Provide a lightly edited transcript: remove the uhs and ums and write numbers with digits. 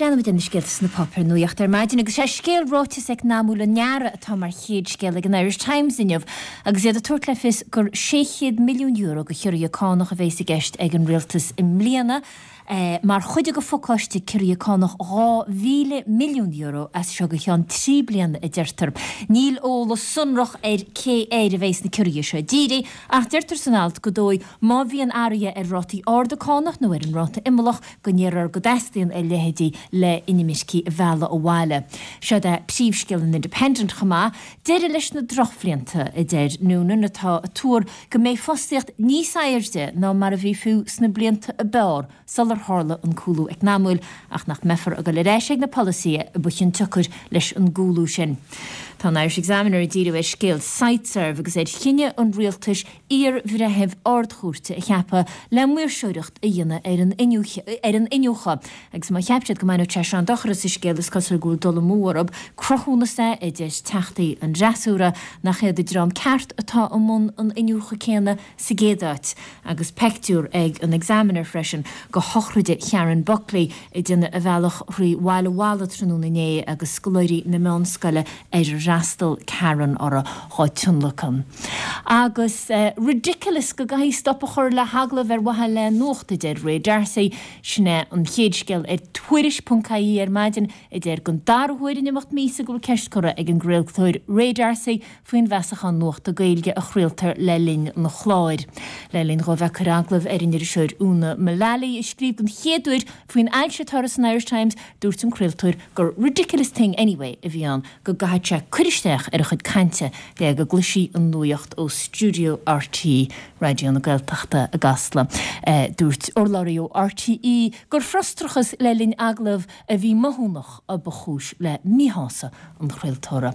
Breathnóimid ar na scéalta sna páipéir nuachta ar maidin agus sé scéal ráiteas eacnamúil an earraigh atá mar chéad scéal ag an Irish Times inniu agus iad ag tabhairt le fios gur €600 milliún de chiorruithe cánach a bhéas i gceist ag an Rialtas i mbliana mar chuid de phacáiste ciorruithe cánach €2,000 milliún as seo go ceann 3 bliana a deirtear. Níl eolas sonrach ar cé air a bhéas na ciorruithe seo dírithe ach deirtear san alt gur dóigh má bhíonn athruithe ar rátaí arda cánach nó ar an ráta imeallach go ndéarfar go dteastaíonn a leithéidí le inimircigh a mhealladh abhaile. Seod é príomhscéal an Independent chomh maith, deireadh leis na drochbhlianta, a deir Noonan, atá ag tuar go mbeidh fostaíocht níos airde ná mar a bhí fiú sna blianta a b'fhearr sular tharla an cúlú eacnamúil, ach nach mbeifear ag dul ar ais ag na polasaithe a ba chionsiocair leis an gcúlú sin. Tá an Irish Examiner ag díriú ar scéal Siteserv agus ar chinneadh an rialtais iar-bhreitheamh Ard-Chúirte a cheapadh le maoirseoireacht a dhéanamh ar an ar an iniúchadh. Agus má cheap siad go mbainfeadh sé seo an dochar as an scéal, is cosúil go bhfuil dul amú orthu. Cruthúnas é, a deir teachtaí an fhreasúra, nach iad an dream ceart atá i mbun an iniúchadh céanna sa gcéad áit. Agus peictiúr ag an Examiner freisin de shochraide Sharon Buckley ag déanamh a bhealach thrí Bhaile Mhalla tráthnóna inné agus scoláirí na meánscoile ar fhreastal Karen orthu dhá tionlacan. Agus ridiculous go gcaithfí stop a chur le hagallamh ar mhaithe le nuacht, a deir Ray D'Arcy. Sin é an chéad scéal ar Tuairisc.ie ar maidin, a deir don dara huair in imeacht míosa go bhfuil ceist curtha ag an gcraoltóir Ray D'Arcy faoin bhfeasachán nuachta Gaeilge a chraoltar le linn an chláir. Le linn dhó bheith ag cur agallamh ar an iriseoir Úna Mullally, a scríobh den chéad uair faoin ailse atá uirthi san Irish Times, dúirt an craoltóir gur ridiculous thing anyway a bhí ann go gcaithfeadh sé cur isteach ar a chuid cainte le go gcloisfí an nuacht ó stiúideo RTÉ Raidió na Gaeltachta i gCasla. Dúirt urlabhraí ó RTÉ gur frustrachas le linn agallamh a bhí maithiúnach a ba chúis le míshásamh an chraoltóra.